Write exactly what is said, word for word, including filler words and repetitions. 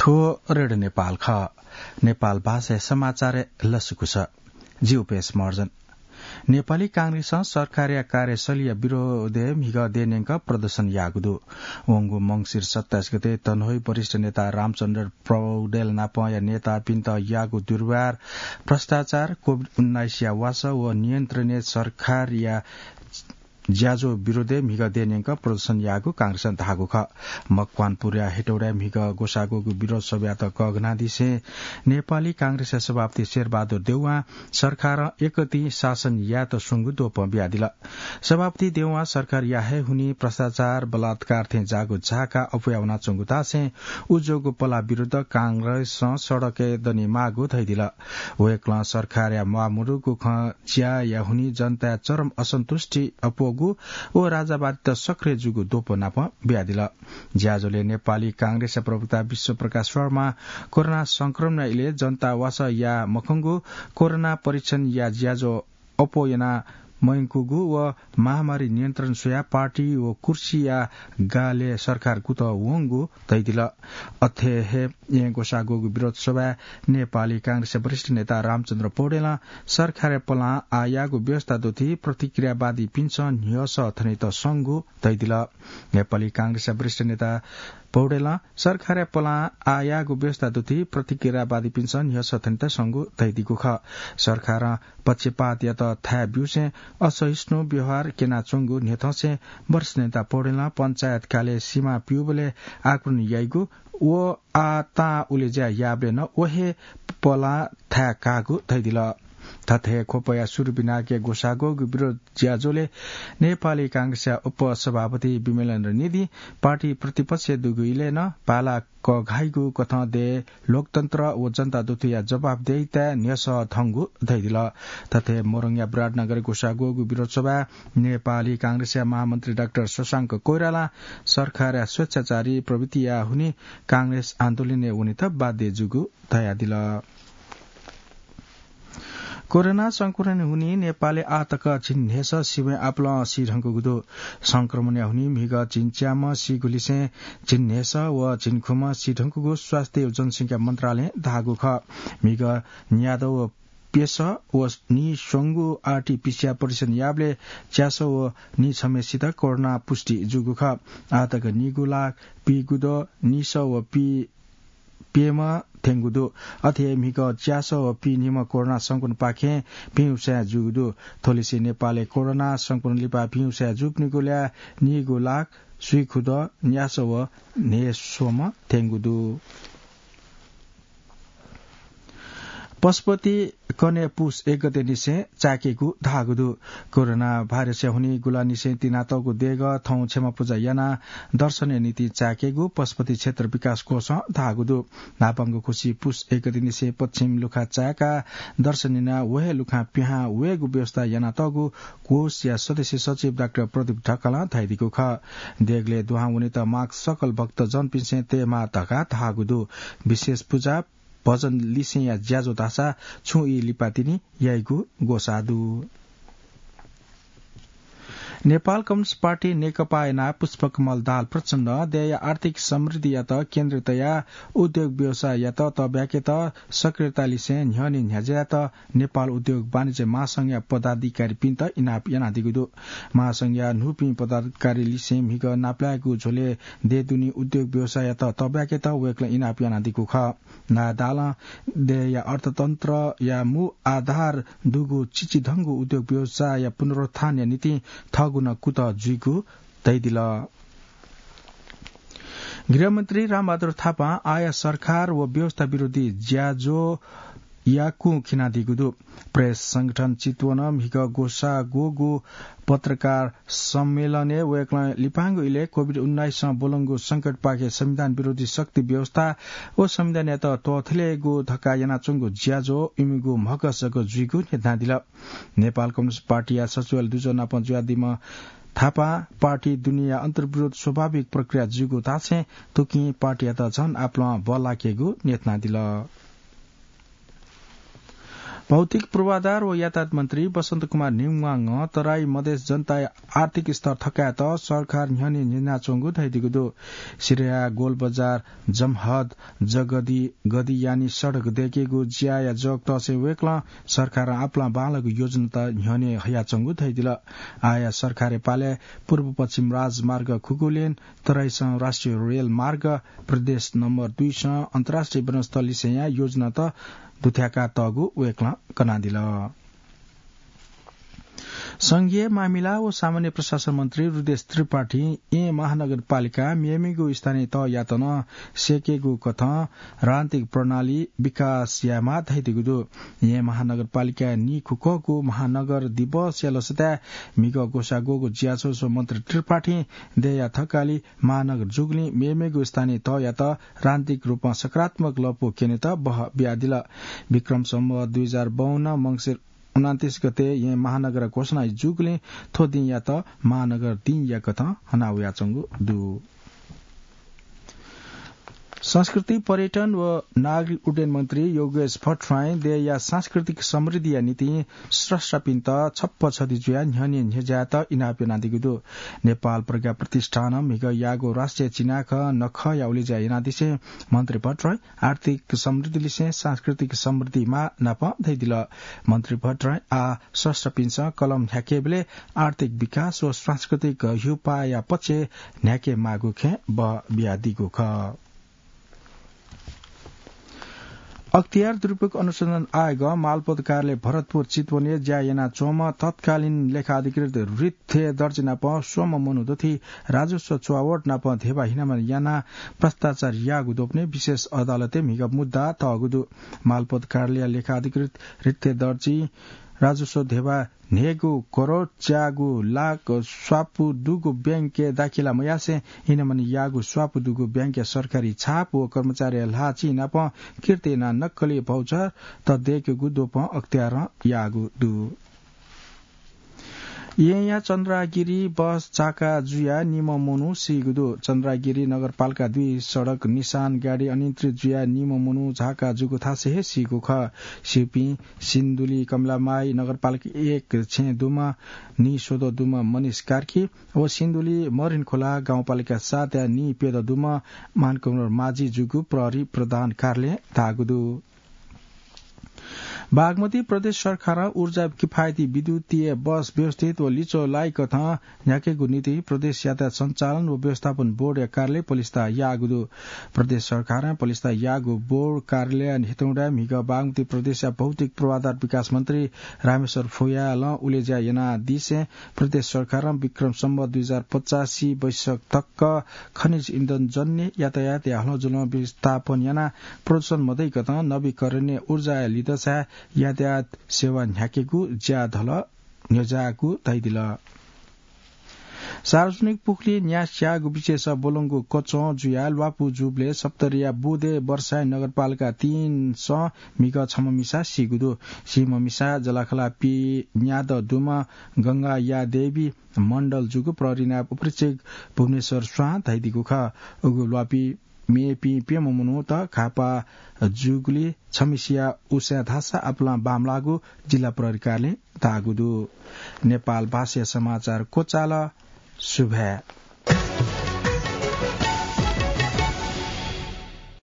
थ्व रेडियो नेपाल खः। नेपाल भाषाया समाचारय् लसकुस। जि उपेश महर्जन। नेपाली कांग्रेसं सरकारया कार्यशैलीया विरोधय् म्हिगः देय् न्यंक प्रदर्शन याःगु दु। वंगु मंसिर सत्ताइस गते तनहुँइ वरिष्ठ नेता रामचन्द्र पौडेल नापया नेतापिन्त याःगु दुर्व्यवहार, भ्रष्टाचार, कोभिड उन्नाइसया वासः व नियन्त्रणय् सरकारया ज्याझ्वः विरोधय् म्हिगः देय् न्यंक प्रदर्शन याःगु कांग्रेसं धाःगु खः। मकवानपुरया हेटौडाय् म्हिगः ग्वसाःग्वःगु विरोध सभायात कःघनादिसें नेपाली कांग्रेसया सभापति शेरबहादुर देउवां सरकारं एकतिं शासन यायेत स्वंगु द्वपं बियादिल। सभापति देउवां सरकारया हे हुनिं भ्रष्टाचार, बलात्कार थें जाःगु झाका अप्वया वनाच्वंगु धासें उज्वःगु पलाः विरुद्ध कांग्रेसं सडकय् दनेमाःगु धयादिल। वय्कलं सरकारया म्वाःमदुगु खँ ज्याया हुनिं जनताया चरम असन्तुष्टि अप्वःगु व राजावादीत सक्रिय जूगु द्वपं नापं बियादिल। ज्याझ्वलय् नेपाली कांग्रेसया प्रवक्ता विश्वप्रकाश शर्मां कोरोना संक्रमणया इलय् जनता वासः याये मखंगु, कोरोना परीक्षणया ज्याझ्वः अप्वः याना मयंकूगु व महामारी नियन्त्रण स्वयाः पार्टी व कुर्सीया गालय् सरकार कुतः वंगु धयादिल। अथे हे येँ ग्वसाःग्वःगु विरोध सभाय् नेपाली कांग्रेसया वरिष्ठ नेता रामचन्द्र पौडेलं सरकारया पलां आः याःगु व्यवस्था दुथि प्रतिक्रियावादीपिन्सं न्ह्यसः थनेत संगु धयादिल। नेपाली कांग्रेसया वरिष्ठ नेता पौडेलं सरकारया पलां आः याःगु व्यवस्था दुथि प्रतिक्रियावादीपिन्सं न्ह्यसः थनेत संगु धयादीगु खः। सरकारं पक्षपात यात थाय् ब्यूसें असहिष्णु व्यवहार क्यनाच्वंगु न्ह्यथंसें वरिष्ठ नेता पौडेलं पञ्चायतकालय् सीमा प्यूबलय् आक्रमण याइगु व आः तां उलेज्या याःबलय् नं व हे पलां थाय् काःगु धयादिल। थथे ख्वपया सुरु बिनाके ग्वसाःग्वःगु विरोध ज्याझ्वलय् नेपाली कांग्रेसया उपसभापति विमलेन्द्र निधिं पार्टी प्रतिपक्षय् दुगु इलय् नं भाला कघाइगु कथं देय् लोकतन्त्र व जनता दुथुया जवाफदेहिताय् न्ह्यसः धंगु धयादिल। थथे मोरङया विराटनगरय् ग्वसाःग्वःगु विरोध सभाय् नेपाली कांग्रेसया महामन्त्री डाक्टर शशांक कोइरालां सरकारया स्वेच्छाचारी प्रवृत्तिया हुनिं कांग्रेस आन्दोलनय् वनेत बाध्य जूगु धयादिल। कोरोना संक्रमण हुनिं नेपालय् आः तक झिंन्हय्‌सः सिबय् आपालं सी धुंकूगु दु। संक्रमणया हुनिं म्हिगः झिंच्याम्ह सीगुलिसें झिंन्हय्‌सः व झिंखुम्ह सी धुंकूगु स्वास्थ्य व जनसंख्या मन्त्रालयं धाःगु खः। म्हिगः न्यादँ व प्यसः व नीस्वंगु आरटीपीसीआर परीक्षण याःबलय् च्यासः व नीछम्हेसित कोरोना पुष्टि जूगु खः। आः तक नीगु लाख पीगुद्वः नीसः व पी प्यम्ह थ्यंगु दु। अथे हे म्हिगः च्यासः व पीन्हिम्ह कोरोना संक्रमणपाखें भिंगुसाँय् जूगु दु। थ्वलिसे नेपालय् कोरोना संक्रमण लिपा भिंगुसाँय् जूपिनिगु ल्याः नीगु लाख स्वीगुद्वः न्यासः व न्हय्‌स्वम्ह थ्यंगु दु। पशुपति कन्हय् पुस एक गते निसें चाय्‌केगु धाःगु दु। कोरोना भाइरसया हुनिं गुलांनिसें तिनातःगु देगः थौं क्षमा पुजा यानाः दर्शनया निंतिं चाय्‌केगु पशुपति क्षेत्र विकास कोषं धाःगु दु। न्हापांगु खुसि पुस एक गते निसें पश्चिम लुखा चाय्‌काः दर्शन यानाः व हे लुखां पिहां वयेगु व्यवस्था यानातःगु कोषया सदस्य सचिव डाक्टर प्रदीप ढकालं धयादीगु खः। देगलय् दुहां वनेत माग सकल भक्तजनपिन्सं तयेमाः धकाः धाःगु दु। विशेष पुजा भजन लिसेंया ज्याझ्वः धाःसा छुं ई लिपा तिनि याइगु ग्वसाः दु। नेपाल कम्युनिस्ट पार्टी नेकपाया नायः पुष्पकमल दाहाल प्रचण्डं देय्‌या आर्थिक समृद्धियात केन्द्र तयाः उद्योग व्यवसाययात तःब्याकेत सक्रियता लिसें न्ह्यःने न्ह्याज्यायेत नेपाल उद्योग वाणिज्य महासंघया पदाधिकारीपिन्त इनाप यानादीगु दु। महासंघया न्हूपिं पदाधिकारी लिसें म्हिगः नापलायेगु झ्वलय् देय् दुने उद्योग व्यवसाययात तःब्याकेत वय्‌कलं इनाप यानादीगु खः। नायः दाहालं देय्‌या अर्थतन्त्रया मू आधार दुगु चिचिधंगु उद्योग व्यवसायया पुनरुत्थानया निंतिं थःगु नं कुतः जुइगु धयादिल। गृहमन्त्री रामबहादुर थापां आःया सरकार व व्यवस्था विरोधी ज्याझ्वःया कुं खिनादीगु दु। प्रेस संगठन चितवनं म्हिगः ग्वसाः ग्वःगु पत्रकार सम्मेलनय् वय्‌कलं लिपांगु इलय् कोभिड उन्नाइसं ब्वलंगु संकटपाखे संविधान विरोधी शक्ति व्यवस्था व संविधानयात त्वःथलेगु धकाः यानाच्वंगु ज्याझ्वः इमिगु म्हगसक जुइगु न्ह्यथनादिल। नेपाल कम्युनिस्ट पार्टीया सचिवालय दुजः नाप जुयादीम्ह थापां पार्टी दुनेया अन्तर्विरोध स्वाभाविक प्रक्रिया जुइगु धासें थुकिं पार्टीयात झन आपालं बल्लाकेगु न्ह्यथनादिल। भौतिक पूर्वाधार व यातायात मन्त्री बसन्त कुमार न्हिङवाङं तराई मधेस जनताया आर्थिक स्तर थकायेत सरकार न्ह्यःने न्ह्यज्यानाच्वंगु धयादीगु दु। सिराया गोलबजार, जमहद, जगदी, गदियानी सडक दयेकेगु ज्याया जगतःसे वय्कलं सरकारं आपालं बांलाःगु योजनात न्ह्यःने हयाच्वंगु धयादिल। आःया सरकारया पालय् पूर्व पश्चिम राजमार्ग खुकुलेन, तराईसं राष्ट्रिय रेलमार्ग, प्रदेश नम्बर दुईसं अन्तर्राष्ट्रिय विमानस्थल लिसेंया योजनात दुथ्याकातःगु वय्कलं कनादिल। संघीय मामिला व सामान्य प्रशासन मन्त्री हृदेश त्रिपाठीं येँ महानगरपालिका मेमेगु स्थानीय तहयात नं स्यकेगु कथं राजनीतिक प्रणाली विकास यायेमाः धयादीगु दु। येँ महानगरपालिकाय् नीखुकःगु महानगर दिवसया लसताय् म्हिगः ग्वसाः ग्वःगु ज्याझ्वलय् मन्त्री त्रिपाठीं देय्‌या थकालि महानगर जूगुलिं मेमेगु स्थानीय तहयात राजनीतिक रूपं सकारात्मक लँपु क्यनेत बह बियादिल। विक्रम सम्वत दुई हजार बाउन्न मंसिर उनान्तिस गते येँ महानगर घोषणा जूगुलिं थ्व दिंयात महानगर दिंया कथं हनावयाच्वंगु दु। संस्कृति, पर्यटन व नागरिक उड्डयन मन्त्री योगेश भट्टराईं देय्‌या सांस्कृतिक समृद्धिया निंतिं स्रष्टापिन्त छप्पा छधी जुयाः न्ह्यःने न्ह्यज्यायेत इनाप यानादीगु दु। नेपाल प्रज्ञा प्रतिष्ठानं म्हिगः याःगु राष्ट्रिय चिनाखँ नखःया उलेज्या यानादिसें मन्त्री भट्टराईं आर्थिक समृद्धि लिसें सांस्कृतिक समृद्धि माः नापं धयादिल। मन्त्री भट्टराईं आः स्रष्टापिन्सं कलम न्ह्याकेबलय् आर्थिक विकास व सांस्कृतिक ह्यूपाःया पक्षय् न्ह्याकेमाःगु खँय् बः बियादीगु खः। अख्तियार दुरुपयोग अनुसन्धान आयोगं मालपोत कार्यालय भरतपुर चितवनय् ज्या यानाच्वंम्ह तत्कालीन लेखा अधिकृत रित्थे दर्जी नाप स्वम्ह मनू दथुइ राजस्व चुहावट नाप धेबा हिनामना यानाः भ्रष्टाचार याःगु द्वपनय् विशेष अदालतय् म्हिगः मुद्दा तःगु दु। मालपोत कार्यालय लेखा अधिकृत रित्थे दर्जी राजस्व धेबा न्हय्‌गू करोड च्यागू लाख स्वापू दुगु बैंकय् दाखिला मयासें हिनामना याःगु स्वापू दुगु बैंकया सरकारी छाप व कर्मचारीया ल्हाः चिं नाप किर्ति यानाः नक्कली भाउचर त दय्‌केगु द्वपं अख्तियारं याःगु दु। येँया चन्द्रागिरी बस झाका जुयाः निम्ह मनू सीगु दु। चन्द्रागिरी नगरपालिका दुई सडक निशान गाडी अनियन्त्रित जुयाः निम्ह मनू झाका जूगु थासय् हे सीगु खः। सीपिं सिन्धुली कमलामाई नगरपालिका एक छेँ दुम्ह निस्वदँ दुम्ह मनिष कार्की व सिन्धुली मरिनखोला गाउँपालिका सातया निप्यदँ दुम्ह मानकुमार माझी जूगु प्रहरी प्रधान कार्यालयं धाःगु दु। बागमती प्रदेश सरकारं ऊर्जा किफायती विद्युतीय बस व्यवस्थित व लिच्वः लाइकथं न्ह्याकेगु निंतिं प्रदेश यातायात सञ्चालन व व्यवस्थापन बोर्डया कार्यालय पलिस्था याःगु दु। प्रदेश सरकारं पलिस्था याःगु बोर्ड कार्यालय हेटौँडाय् म्हिगः बागमती प्रदेशया भौतिक पूर्वाधार विकास मन्त्री रामेश्वर फुयालं उलेज्या यानादिसें प्रदेश सरकारं विक्रम सम्वत दुई हजार पचासी वैशाख तक खनिज इन्धनजन्य यातायातया हलंजुलं व्यवस्थापन यानाः प्रदूषण मदय्‌कथं नवीकरणीय ऊर्जाया लिधंसाय् यातायात सेवा न्ह्याकेगु ज्याझ्वलय् न्ह्यज्याःगु धयादिल। सार्वजनिक पुखुलिइ न्यास स्याःगु विषयस ब्वलंगु कचं जुयाः ल्वापु जूबलय् सप्तरीया बुदे वर्षाई नगरपालिका तीनसं म्हिगः छम्ह मिसा सीगु दु। सीम्ह मिसा जलाखला पीन्यादँ दुम्ह गंगायादेवी मण्डल जूगु प्रहरी नायब उपरीक्षक भुवनेश्वर स्वां धयादीगु खः। उगु ल्वापु मेपिं प्यम्ह मनूत घाःपाः जूगुलिं छम्हसिया उसाँय् धाःसा आपालं बांमलाःगु जिल्ला प्रहरी कार्यालयं धाःगु दु। नेपाल भाषाया समाचार क्वचाल। सुभाय्।